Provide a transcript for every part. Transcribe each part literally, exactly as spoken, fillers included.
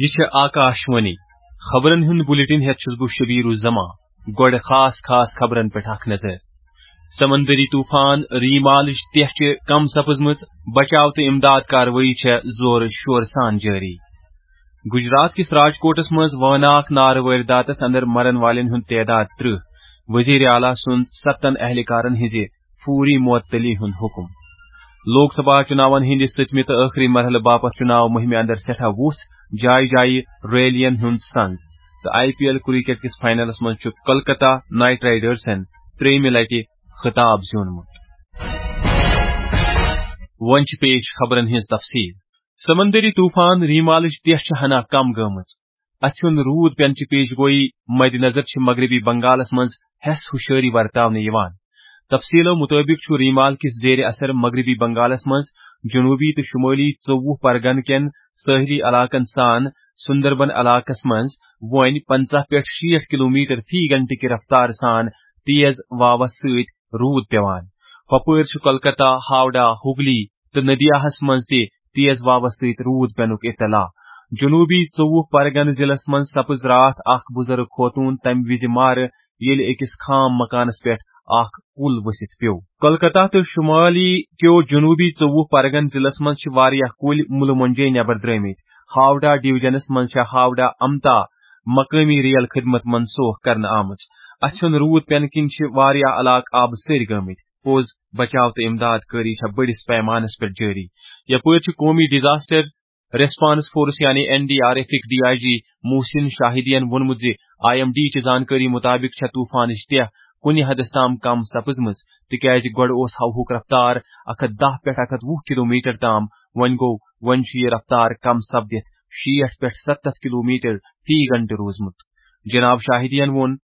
یہِ چھِ آکاش وانی۔ خبرن ہُنٛد بلیٹن ہٮ۪تھ چھُس بہٕ شبیر الزمان۔ گۄڈٕ خاص خاص خبرن پٮ۪ٹھ اکھ نظر۔ سمندری طوفان ریمالٕچ تیٚہ چھِ کم سپٕزمٕژ، بچاو تہٕ امداد کاروٲیی چھےٚ زورٕ شورٕ سان جٲری۔ گجرات کِس راجکوٹس منٛز وٲناکھ نارٕ وٲرۍ داتس اندر مرن والٮ۪ن ہُنٛد تعداد ترٕٛہ۔ وزیر اعلیٰ سُنٛد ستن اہلکارن ہٕنٛزِ فوری معطلی ہُنٛد حکم۔ لوک سبھا چُناون ہٕنٛدِ سٔتمہِ تہٕ ٲخری مرحلہٕ باپتھ چُناو مُہِمہِ اندر سٮ۪ٹھاہ وُژھ، جایہِ جایہِ ریلین ہُنٛد سنز۔ تہٕ آئی پی ایل کرکٹ کِس فائنلس منٛز چھُ کولکتہ نائٹ رائیڈرزن ترٛیٚیِمہِ لٹہِ خطاب زیوٗنمُت۔ وۄنۍ چھِ پیش خبرن ہٕنٛز تفصیل۔ سمندری طوفان ریمالٕچ تیٚہ چھِ ہنا کم گٔمٕژ۔ اَتھ ہُنٛد روٗد پٮ۪نٕچ پیش گویی مدِ نظر چھِ مغربی بنگالس منٛز ہٮ۪س ہُشٲری ورتاونہٕ یِوان۔ تفصیلو مُطٲبِق چھُ ریمال کِس زیر اثر مغربی بنگالس منٛز جنوٗبی تہٕ شُمٲلی ژوٚوُہ پرگن کٮ۪ن سٲحلی علاقن سان سُندربن علاقس منٛز وۄنۍ پنٛژاہ پٮ۪ٹھ شیٹھ کلومیٹر فی گھنٹہٕ کہِ رفتارٕ سان تیز واوس سۭتۍ روٗد پٮ۪وان۔ ہۄپٲرۍ چھُ کولکتہ، ہاوڑہ، ہگلی تہٕ ندیاہس منٛز تہِ تیز واوس سۭتۍ روٗد پٮ۪نُک اطلاع۔ جنوٗبی ژوٚوُہ پرگنہٕ ضلعس منٛز سپٕز راتھ اکھ بُزرگ خوتوٗن تَمہِ وِزِ مارٕ، ییٚلہِ أکِس خام مکانس پٮ۪ٹھ اکھ کُل ؤسِتھ پیوٚو۔ کولکتہ تہٕ شُمالی کیو جنوٗبی ژوٚوُہ پرگن ضلعس منٛز چھِ واریاہ کُلۍ مُلہٕ مۄنجے نٮ۪بر درٲمٕتۍ۔ ہاوڑہ ڈویژنس منٛز چھےٚ ہاوڑہ امتا مقٲمی ریل خدمت منسوخ کرنہٕ آمٕژ۔ اَتھ ہُنٛد روٗد پٮ۪نہٕ کِنۍ چھِ واریاہ علاقہٕ آبہٕ سٔرۍ گٲمٕتۍ۔ پوٚز، بچاو تہٕ امداد کٲری چھےٚ بٔڑِس پیمانس پٮ۪ٹھ جٲری۔ یپٲرۍ چھُ قومی ڈیزاسٹر ریسپانس فورس یعنی این ڈی آر ایفٕکۍ ڈی آئی جی محسن شاہدین ووٚنمُت زِ آئی ایم ڈی چہِ زانکٲری مُطٲبِق چھےٚ طوفانٕچ تیٚہ کُنہِ حدس تام کم سپٕزمٕژ، تِکیازِ گۄڈٕ اوس ہوہُک رفتار اکھ ہتھ دَہ پٮ۪ٹھ اکھ ہتھ وُہ کلومیٹر تام، وۄنۍ گوٚو، وۄنۍ چھُ یہِ رفتار کم سپدِتھ شیٹھ پٮ۪ٹھ ستتھ کلومیٹر فی گھنٹہٕ روٗزمُت۔ جناب شاہدین ووٚن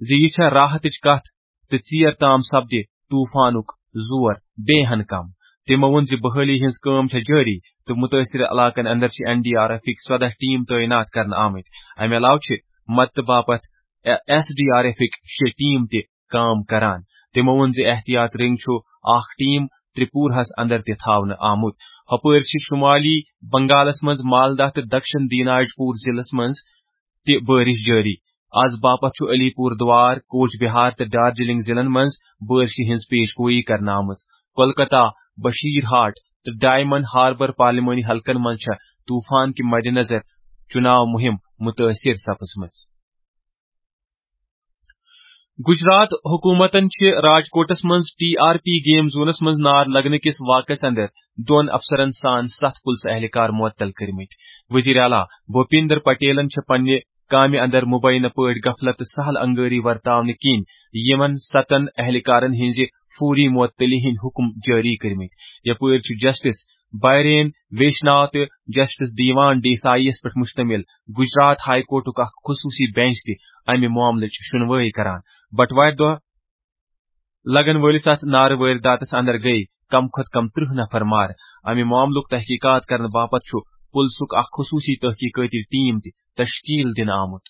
زِ یہِ چھےٚ راحتٕچ کتھ تہٕ ژیر تام سپدِ طوفانُک زور بیٚیہِ ہن کم۔ تِمو ووٚن زِ بحٲلی ہٕنٛز کٲم چھےٚ جٲری تہٕ مُتٲثرٕ علاقن اندر چھِ این ڈی آر ایفٕکۍ ژۄداہ ٹیم تعینات کرنہٕ آمٕتۍ۔ امہِ علاوٕ چھِ مدتہٕ باپتھ ایس ڈی آر ایفٕکۍ شےٚ ٹیم تہِ کٲم کران۔ تِمو ووٚن زِ احتیاط رنگ چھُ اکھ ٹیم ترٛپوٗرہَس اندر تہِ تھاونہٕ آمُت۔ ہۄپٲرۍ چھِ شُمالی بنگالَس منٛز مالدہ تہٕ دکشن دیناج پوٗر ضلعس منٛز تہِ بٲرِش جٲری۔ از باپتھ چھُ علی پوٗر دوار، کوچ بہار تہٕ دارجلنگ ضلعن منٛز بٲرشہِ ہٕنٛز پیش گویی کرنہٕ آمٕژ۔ کولکتہ، بشیر ہاٹ تہٕ ڈائمنڈ ہاربر پارلیمانی حلقن منٛز چھےٚ طوفان کہِ مدِ نظر چُناو مُہِم مُتٲثر سپٕزمٕژ۔ گجرات حکومتن چھِ راجکوٹس منٛز ٹی آر پی گیم زونس منٛز نار لگنہٕ کِس واقعس اندر دۄن افسرن سان ستھ پُلسہٕ اہلکار معطل کٔرمٕتۍ۔ وزیر اعلیٰ بھوپیندر پٹیلن چھِ پننہِ کامہِ اندر مبینہ پٲٹھۍ غفلت تہٕ سہل انگٲری ورتاونہٕ کِنۍ یِمن ستن اہلکارن ہٕنٛزِ فوری معطلی ہٕنٛدۍ حکم جٲری کٔرمٕتۍ۔ یپٲرۍ چھُ جسٹس بائرین ویشنا تہٕ جسٹس دیوان ڈیسائی یَس پٮ۪ٹھ مشتمل گجرات ہائی کورٹُک اکھ خصوصی بینچ تہِ امہِ معاملٕچ شنوٲے کران۔ بٹوارِ دۄہ لگن وٲلِس اتھ نارٕ وٲرۍ داتس اندر گٔیہِ کم کھۄتہٕ کم ترٕٛہ نفر مارٕ۔ امہِ معاملُک تحقیقات کرنہٕ باپتھ چھُ پُلسُک اکھ خصوصی تحقیقٲتی ٹیم تہِ تشکیل دِنہٕ آمُت۔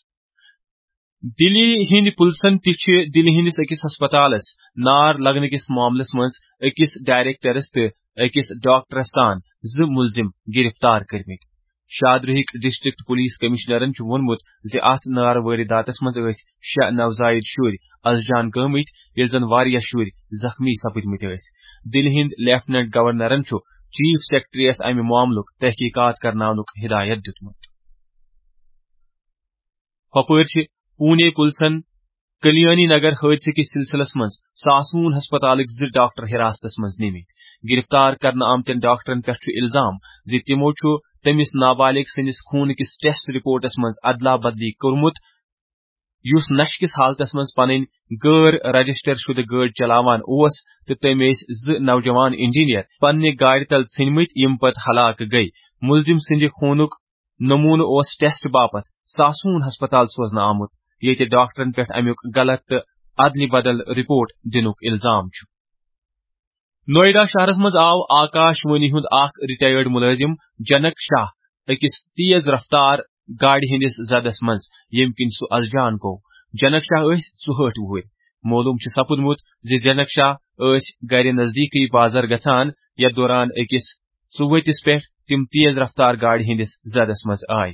دِلی ہٕنٛدۍ پُلسن تہِ چھِ دِلہِ ہٕنٛدِس أکِس ہسپتالس نار لگنہٕ کِس معاملس منٛز أکِس ڈائریکٹرس تہٕ أکِس ڈاکٹرس تام زٕ مُلزِم گِرفتار کٔرمٕتۍ۔ شادروہٕکۍ ڈسٹرکٹ پولیس کمشنرن چھُ ووٚنمُت زِ اتھ نارٕ وٲرۍ داتس منٛز ٲسۍ شےٚ نوزائیدٕ شُرۍ از جان گٲمٕتۍ، ییٚلہِ زن واریاہ شُرۍ زخمی سپٕدمٕتۍ ٲسۍ۔ دِلہِ ہٕنٛدۍ لیفٹیننٹ گورنرن چھُ چیف سیکرٹریس امہِ معاملُک تحقیقات کرناونُک ہدایت دِیُتمُت۔ ہۄپٲرۍ چھِ پونے پُلسن کلیانی نگر حٲدثہٕ کِس سلسلس منٛز ساسون ہسپتالٕکۍ زٕ ڈاکٹر حراستس منٛز نِمٕتۍ۔ گرفتار کرنہٕ آمتٮ۪ن ڈاکٹرن پٮ۪ٹھ چھُ الزام زِ تِمو چھُ تٔمِس نابالغ سٕنٛدِس خوٗنہٕ کِس ٹیسٹ رپورٹس منٛز ادلا بدلی کوٚرمُت، یُس نشہٕ کِس حالتس منٛز پنٕنۍ غٲر رجسٹر شُدٕ گٲڑۍ چلاوان اوس تہٕ تٔمۍ ٲسۍ زٕ نوجوان انجینئر پننہِ گاڑِ تل ژھٕنمٕتۍ، یِم پتہٕ ہلاک گٔیہِ۔ مُلزِم سٕنٛدِ خوٗنُک نمونہٕ اوس ٹیسٹ باپتھ ساسون ہسپتال سوزنہٕ آمُت، ییٚتہِ ڈاکٹرن پٮ۪ٹھ امیُک غلط تہٕ ادلہِ بدل رپورٹ دِنُک الزام چھُ۔ نوئیڈا شہرس منٛز آو آکاش وانی ہُنٛد اکھ ریٹائرڈ مُلٲزِم جنک شاہ أکِس تیز رفتار گاڑِ ہٕنٛدِس زدس منٛز، ییٚمہِ کِنۍ سُہ از جان گوٚو۔ جنک شاہ ٲسۍ ژُہٲٹھ وُہٕرۍ۔ معلوم چھُ سپُدمُت زِ جنک شاہ ٲسۍ گرِ نزدیٖکٕے بازر گژھان، یتھ دوران أکِس ژُؤتِس پٮ۪ٹھ تِم تیز رفتار گاڑِ ہٕنٛدِس زدس منٛز آے۔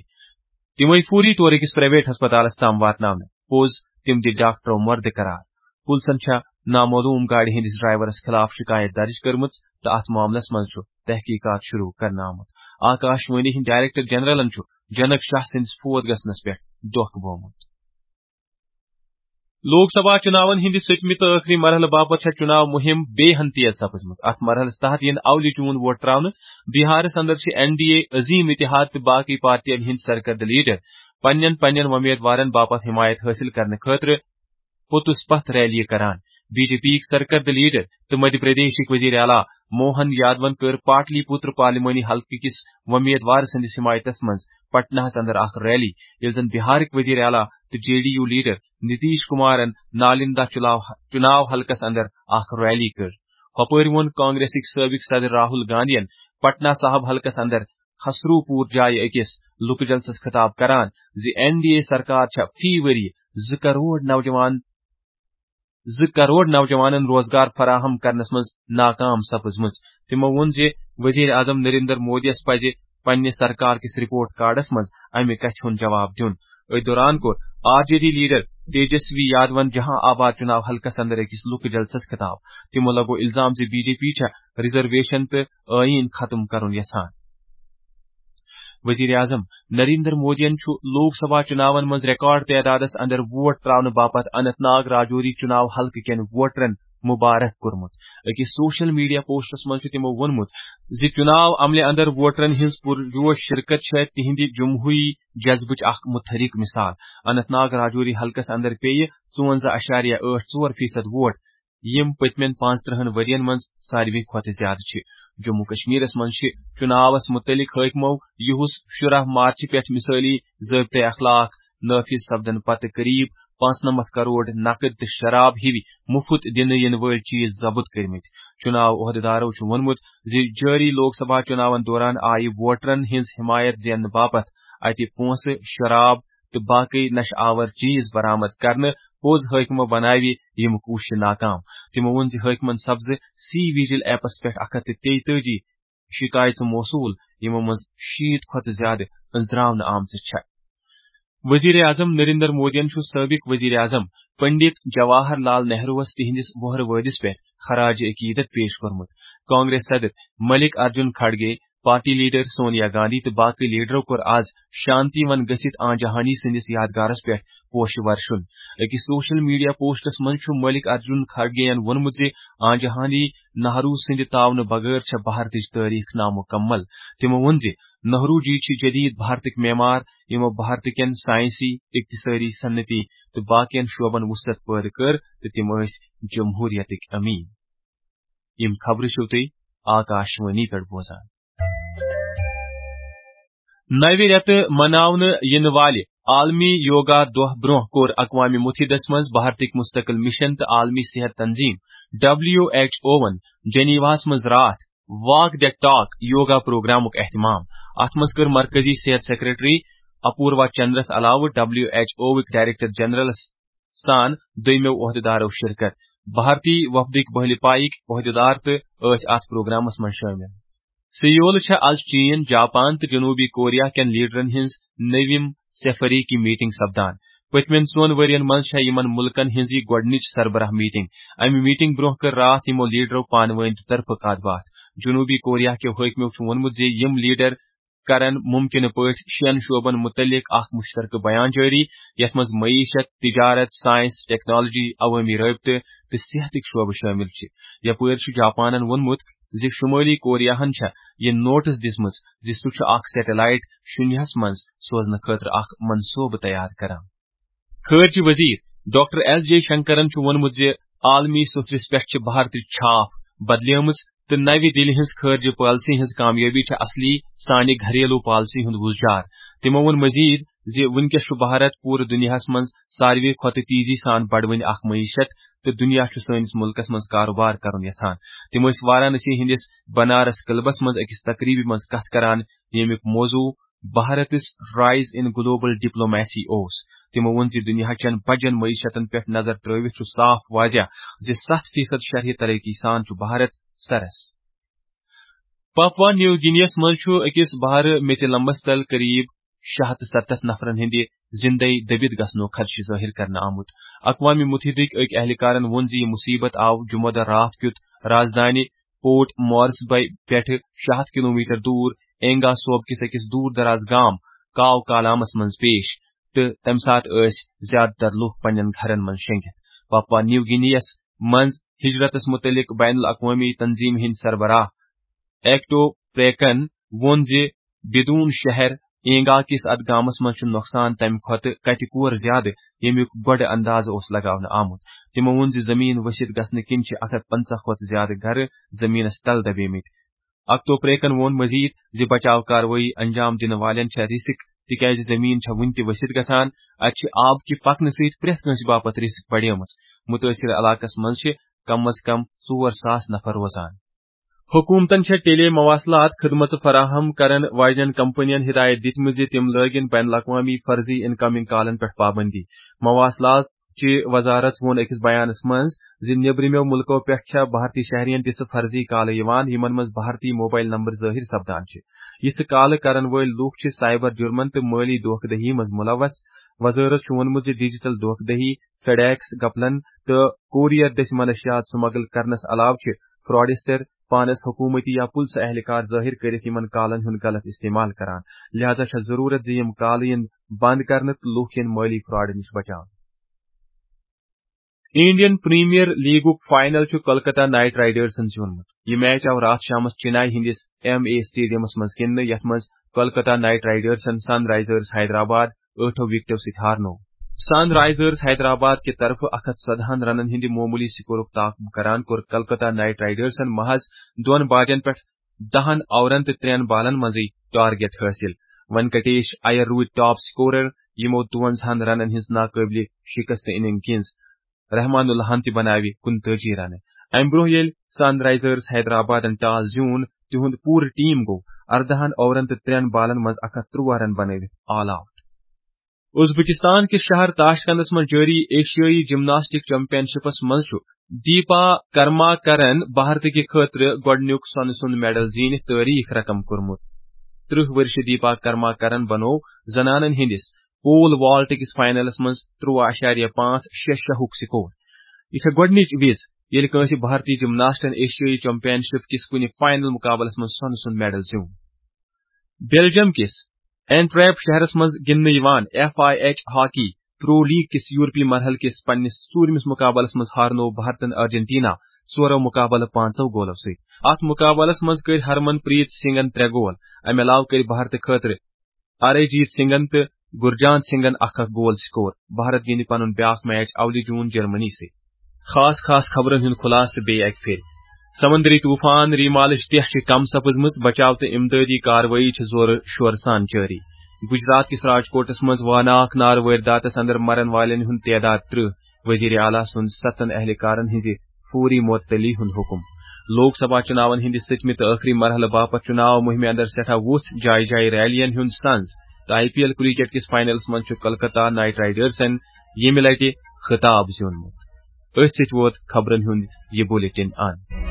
تِمے فوری طور أکِس پرائیویٹ ہسپتالس تام واتناونہٕ۔ پوٚز، تِم دِتۍ ڈاکٹرو مردٕ قرار۔ پُلسن چھےٚ نامعلوم گاڑِ ہٕنٛدِس ڈرائیورس خلاف شکایت درج کٔرمٕژ تہٕ اتھ معاملس منٛز چھُ تحقیقات شروع کرنہٕ آمُت۔ آکاش وانی ہٕنٛدۍ ڈائریکٹر جنرلن چھُ جنک شاہ سٕنٛدِس فوت گژھنس پٮ۪ٹھ دۄکھ بوومُت۔ لوک سبھا چُناون ہٕنٛدِ سٔتمہِ تہٕ ٲخری مرحلہٕ باپتھ چھےٚ چُناو مُہِم بیٚیہِ ہن تیز سپٕزمٕژ۔ اتھ مرحلس تحت یِن اولہِ جوٗن ووٹ تراونہٕ۔ بِہارس اندر چھِ این ڈی اے، عظیم اتحاد تہٕ باقٕے پارٹین ہٕنٛدۍ سرکردٕ لیڈر پننٮ۪ن پننٮ۪ن وۄمیدوارن باپتھ حمایت حٲصِل کرنہٕ خٲطرٕ پوٚتُس پتھ ریلیہِ کران۔ بی جے پی یِکۍ سرکردٕ لیڈر تہٕ مدھیہ پردیشٕکۍ وزیر اعلیٰ موہن یادون کٔر پاٹلی پُتر پارلیمانی حلقہٕ کِس وۄمیدوار سٕنٛدِس حمایتس منٛز پٹناہس اندر اکھ ریلی، ییٚلہِ زن بہارٕکۍ وزیر اعلیٰ تہٕ J D U leader Nitish کمارن نالندہ چُلاو-، چُناو حلقس اندر اکھ ریلی کٔر۔ ہۄپٲرۍ ووٚن کانگریسٕکۍ سٲبق صدر راہل گاندھین پٹنہ صاحب حلقس اندر خسرو پور جایہِ أکِس لُکہٕ جلسس خطاب کران زِ این ڈی اے سرکار چھےٚ فی ؤری زٕ کرور نوجوان، زٕ کرور نوجوانن روزگار فراہم کرنس منٛز ناکام سپٕزمٕژ۔ تِمو ووٚن زِ وزیر اعظم نریندر مودیَس پزِ پننہِ سرکار کِس رپورٹ کارڈس منٛز امہِ کتھِ ہُنٛد جواب دیُن۔ أتھۍ دوران کوٚر R J D leader Tejashwi یادون جہاں آباد چُناو حلقس اندر أکِس لُکہٕ جلسس خطاب۔ تِمو لگوو الزام زِ بی جے پی چھےٚ ریزرویشن تہٕ ٲییٖن ختم کرُن یژھان۔ وزیر اعظم نریندر مودیَن چھُ لوک سبھا چُناون منٛز ریکارڈ تعدادس اندر ووٹ تراونہٕ باپتھ اننت ناگ راجوری چُناو حلقہٕ کٮ۪ن ووٹرن مبارک کوٚرمُت۔ أکِس سوشل میڈیا پوسٹس منٛز چھُ تِمو ووٚنمُت زِ چُناو عملہِ اندر ووٹرن ہٕنٛز پُرجوش شرکت چھےٚ تِہنٛدِ جمہوری جذبٕچ اکھ متحرک مثال۔ اننت ناگ راجوری حلقس اندر پیٚیہِ ژُوَنزاہ اَشاریہ ٲٹھ ژور فیصد ووٹ، یِم پٔتمٮ۪ن پانٛژترٕہن ؤرین منٛز ساروی کھۄتہٕ زیادٕ چھِ۔ جموں کشمیرس منٛز چھِ چُناوس مُتعلق حٲکمو یِہُس شُراہ مارچہِ پٮ۪ٹھ مثٲلی ضٲبطہٕ اخلاق نافذ سپدن پتہٕ قریب پانٛژنمتھ کرور نقد تہٕ شراب ہِوۍ مُفت دِنہٕ یِنہٕ وٲلۍ چیز ضبط کٔرمٕتۍ۔ چُناو عہدٕدارو چھُ ووٚنمُت زِ جٲری لوک سبھا چُناون دوران آیہِ ووٹرن ہٕنٛز حمایت زیننہٕ باپتھ اتہِ پونٛسہٕ، شراب تہٕ باقٕے نشہٕ آور چیز برآمد کرنہٕ۔ پوٚز، حٲکمو بناوِ یِم کوٗششہٕ ناکام۔ تِمو ووٚن زِ حٲکمن سپزٕ سی ویجل ایپس پٮ۪ٹھ اکھ ہتھ تہٕ تیٚتٲجی شکایژٕ موصول، یِمو منٛز شیٖتھ کھۄتہٕ زیادٕ أنٛزراونہٕ آمژٕ چھےٚ۔ وزیر اعظم نریندر مودیَن چھُ سٲبق وزیر اعظم پنڈت جواہر لال نہروَس تِہنٛدِس وُہرٕ وٲدِس پٮ۪ٹھ خراج عقیدت پیش کوٚرمُت۔ کانگریس صدر ملک ارجن کھڑگے، پارٹی لیڈر سونیا گاندھی تہٕ باقٕے لیڈرو کوٚر آز شانتی ون گٔژھِتھ آنجہانی سٕنٛدِس یادگارس پٮ۪ٹھ پوشہٕ ورشُن۔ أکِس سوشل میڈیا پوسٹس منٛز چھُ ملک ارجن کھڑگے یَن ووٚنمُت زِ آنجہانی نہرو سٕنٛدِ تعاونہٕ بغٲر چھےٚ بھارتٕچ تٲریخ نامُکمل۔ تِمو ووٚن زِ نہرو جی چھِ جدید بھارتٕکۍ معمار، یِمو بھارتٕکٮ۪ن سائنسی، اقتصٲدی، صنعتی تہٕ باقین شعبن وسعت پٲدٕ کٔر تہٕ تِم ٲسۍ جمہوریتٕکۍ امین۔ یِم خبرٕ چھِو تُہۍ آکاشوانی پٮ۪ٹھ بوزان۔ نوِ رٮ۪تہٕ مناونہٕ یِنہٕ والہِ عالمی یوگا دۄہ برٛونٛہہ کوٚر اقوام متحدس منٛز بھارتٕکۍ مستقل مشن تہٕ عالمی صحت تنظیم ڈبلیو ایچ اوون جنیواہس منٛز راتھ واک دی ٹاک یوگا پروگرامُک اہتمام۔ اتھ منٛز کٔر مرکزی صحت سیکرٹری اپوروا چندرس علاوٕ ڈبلیو ایچ اووٕکۍ ڈائریکٹر جنرلس سان دوٚیمٮ۪و عہدٕدارو شرکت۔ بھارتی وفدٕکۍ بٔہلہِ پایِکۍ عہدٕدار تہٕ ٲسۍ اتھ پروگرامس منٛز شٲمِل۔ سیول چھےٚ از چین، جاپان تہٕ جنوبی کوریا کٮ۪ن لیڈرن ہٕنٛز نٔوِم سفریکی میٹنگ سپدان۔ پٔتمٮ۪ن ژۄن ؤرین منٛز چھےٚ یِمن مُلکن ہٕنٛز یہِ گۄڈٕنِچ سربراہ میٹنگ۔ امہِ میٹنگ برونٛہہ کٔر راتھ یِمو لیڈرو پانہٕ وٲنۍ تہِ طرفہٕ کتھ باتھ۔ جنوبی کوریا کیو حٲکمو چھُ ووٚنمُت زِ یِم لیڈر کرن ممکنہٕ پٲٹھۍ شٮ۪ن شعبن مُتعلق اکھ مشترکہٕ بیان جٲری، یتھ منٛز معیشت، تجارت، سائنس، ٹیکنالوجی، عوٲمی رٲبطہٕ تہٕ صحتٕکۍ شعبہٕ شٲمِل چھِ۔ یپٲرۍ چھُ جاپانن ووٚنمُت زِ شمٲلی کوریاہن چھےٚ یہِ نوٹس دِژمٕژ زِ سُہ چھُ اکھ سیٹلائٹ شُنیہس منٛز سوزنہٕ خٲطرٕ اکھ منصوبہٕ تیار کران۔ خارجہ وزیر ڈاکٹر ایس جے شنکرن چھُ ووٚنمُت زِ عالمی سوٚتھرِس پٮ۪ٹھ چھِ بھارتٕچ چھاپ بدلیمٕژ تہٕ نوِ دِلہِ ہٕنٛز خارجہ پالیسی ہٕنٛز کامیٲبی چھےٚ اصلی سانہِ گھریلو پالیسی ہُنٛد وُزجار۔ تِمو ووٚن مزید زِ وُنکیٚس چھُ بھارت پوٗرٕ دُنیاہَس منٛز ساروی کھۄتہٕ تیزی سان بڑوٕنۍ اکھ معیشت تہٕ دُنیا چھُ سٲنِس مُلکَس منٛز کاروبار کرُن یژھان۔ تِم ٲسۍ وارانسی ہٕنٛدِس بنارس کلبس منٛز أکِس تقریبہِ منٛز کتھ کران، ییٚمیُک موضوع بھارتس رائز ان گلوبل ڈپلومیسی اوس۔ تِمو ووٚن زِ دُنیاہچٮ۪ن بجن معیشتن پٮ۪ٹھ نظر ترٲوِتھ چھُ صاف واضح زِ ستھ فیصد شرحہِ ترقی سان چھُ بھارت سرس۔ پاپوا نیو گِنیَس منٛز چھُ أکِس بحرٕ میٚژِ لمبس تل قریب شےٚ ہتھ تہٕ ستتھ نفرن ہٕنٛدِ زِندَے دٔبِتھ گژھنُک خدشہٕ ظٲہِر کرنہٕ آمُت۔ اقوام مُتحدٕکۍ أکۍ اہلکارن ووٚن زِ یہِ مُصیبت آو جمعہ دۄہ راتھ کیُتھ رازدانہِ پورٹ مورسبی پٮ۪ٹھٕ شےٚ ہتھ کلومیٹر دوٗر اینگا صوبہٕ کِس أکِس دوٗر دراز گام کاو کالامس منٛز پیش، تہٕ تَمہِ ساتہٕ ٲسۍ زیادٕ تر لوٗکھ پننٮ۪ن گھرن منٛز شۄنگِتھ۔ پاپوا نیو گِنیَس منٛز ہجرتس مُتعلق بین الاقوٲمی تنظیمہِ ہٕنٛدۍ سربراہ ایکٹو پریکن ووٚن زِ بدون شہر اینگا کِس اتھ گامس منٛز چھُ نۄقصان تَمہِ کھۄتہٕ کتہِ کور زیادٕ، ییٚمیُک گۄڈٕ اندازٕ اوس لگاونہٕ آمُت۔ تِمو ووٚن زِ زمین ؤسِتھ گژھنہٕ کِنۍ چھِ اکھ ہتھ پنژاہ کھۄتہٕ زیادٕ گرٕ زمینس تل دبیمٕتۍ۔ اکتو پریکن ووٚن مزید زِ بچاو کاروٲیی انجام دِنہٕ والٮ۪ن چھےٚ رِسک، تِکیازِ زمین چھےٚ وُنہِ تہِ ؤسِتھ گژھان۔ اتہِ چھِ آب کہِ پکنہٕ سۭتۍ پرٛٮ۪تھ کٲنٛسہِ باپتھ رِسک بڑیمٕژ۔ مُتٲثرٕ علاقس منٛز چھِ کم از کم ژور ساس نفر روزان۔ حکوٗمتن چھےٚ ٹیلی مواصلات خدمژٕ فراہم کرن واجنٮ۪ن کمپنین ہدایت دِتمٕژ زِ تِم لٲگِن بین الاقوامی فرضی انکمنگ کالن پٮ۪ٹھ پابندی۔ مواصلات چہِ وزارت ووٚن أکِس بیانس منٛز زِ نیبرِمیو مُلکو پٮ۪ٹھ چھےٚ بھارتی شہرین تِژھٕ فرضی کالہٕ یِوان، یِمن منٛز بھارتی موبائل نمبر ظٲہِر سپدان چھِ۔ یِژھٕ کالہٕ کرن وٲلۍ لوٗکھ چھِ سائبر جرمن تہٕ مٲلی دھوکہ دہی منٛز ملوث۔ وزارت چھُ ووٚنمُت زِ ڈیجیٹل دھوکہ دہی، فیڈیکس، گپلن تہٕ کوریئر دٔسۍ منشیات سمگل کرنس علاوٕ چھِ فراڈسٹر پانس حکومتی یا پُلسہٕ اہلکار ظٲہِر کٔرِتھ یِمن کالن ہُنٛد غلط استعمال کران۔ لہذا چھےٚ ضروٗرت زِ یِم کالہٕ یِن بند کرنہٕ تہٕ لوٗکھ یِن مٲلی فراڈ نِش بچاونہٕ۔ انڈین پریمیئر لیگُک فائنل چھُ کولکتہ نائٹ رائیڈرزن زیوٗنمُت۔ یہِ میچ آو راتھ شامس چنئی ہٕنٛدِس ایم اے اسٹیڈیمس منٛز گِنٛدنہٕ، یتھ منٛز کولکتہ نائٹ رائیڈرزن سن رائزرز حیدرآباد ٲٹھو وکٹو سۭتۍ ہارنوو۔ سن رائزرز حیدرآباد کہِ طرفہٕ اکھ ہتھ ژۄدہن رنن ہٕنٛدِ معموٗلی سکورُک تعاقب کران کوٚر کولکتہ نائٹ رائیڈرزن محض دۄن باجن پٮ۪ٹھ دہن اورن تہٕ ترٛٮ۪ن بالن منٛزٕے ٹارگیٹ حٲصِل۔ وینکٹیش ایَر روٗدۍ ٹاپ سکورر، یِمو دُوَنزاہن رنن ہٕنٛز ناقٲبلِ شکست اننگ گِنٛز رحمان اللہن تہِ بناوِ کُنتٲجی رنہٕ۔ امہِ برونٛہہ ییٚلہِ سن رائزرز حیدرآبادن ٹاس زیوٗن، تِہُنٛد پوٗرٕ ٹیم گوٚو اردہن اورن تہٕ ترٛٮ۪ن بالن منٛز اکھ ہتھ ترٛوہ رن بنٲوِتھ آل آوٹ۔ ازبکستان کِس شہر تاشکندس منٛز جٲری ایشیٲیی جمناسٹک چیمپین شپس منٛز چھُ دیپا کرماکرن بھارتہٕ کہِ خٲطرٕ گۄڈٕنیُک سۄنہٕ سُنٛد میڈل زیٖنِتھ تٲریخ رقم کوٚرمُت۔ ترٕہ ؤرشہِ دیپا کرماکرن بنوو زنانن ہٕنٛدِس پول والٹ کِس فائنلس منٛز ترٛوہ اعشاریہ پانٛژھ شےٚ شےٚ ہُک سکور۔ یہِ چھےٚ گۄڈٕنِچ وِز، ییٚلہِ کٲنٛسہِ بھارتی جمناسٹن ایشیٲیی چیمپین شپ کِس کُنہِ فائنل مقابلس منٛز سۄنہٕ سُنٛد میڈل زیوٗن۔ بیلجیم کِس اینٹریپ شہرس منٛز گِنٛدنہٕ یِوان F I H hockey pro league کِس یورپی مرحلہٕ کِس پننِس ژوٗرمِس مقابلس منٛز ہارنوو بھارتن ارجنٹینا ژورو مقابلہٕ پانٛژو گولو سۭتۍ۔ اتھ مقابلس منٛز کٔرۍ ہرمن پریت سنگھن ترٛےٚ گول۔ امہِ علاوٕ کٔرۍ بھارتہٕ خٲطرٕ ارے جیت سنگھن تہٕ گرجانت سنگھن اکھ اکھ گول سکور۔ بھارت گِنٛدِ پنُن بیاکھ میچ اولہِ جون جرمنی سۭتۍ۔ خاص خاص خبرن ہُنٛد خلاصہٕ بیٚیہِ اکہِ پھِرِ۔ سمندری طوفان ریمالٕچ ٹیٚٹھ چھِ کم سپٕزمٕژ، بچاو تہٕ امدادی کاروٲیی چھِ زورٕ شورٕ سان جٲری۔ گجرات کِس راجکوٹس منٛز واناکھ نارٕ وٲرۍ داتس اندر مرن والٮ۪ن ہُنٛد تعداد ترٕہ، وزیر اعلیٰ سُنٛد ستن اہلکارن ہٕنٛزِ فوری معطلی ہُنٛد حکم۔ لوک سبھا چُناون ہٕنٛدِ سٔتمہِ تہٕ ٲخری مرحلہٕ باپتھ چُناو مُہِمہِ اندر سٮ۪ٹھاہ وُژھ جایہِ جایہِ ریلین ہُنٛد سنز تہٕ آئی پی ایل کرکٹ کِس فائنلس منٛز چھُ کولکتہ نائٹ رائیڈرزن ییٚمہِ لٹہِ خطاب زیوٗنمُت۔ أتھۍ سۭتۍ ووت خبرن ہُنٛد یہِ بلیٹن اند۔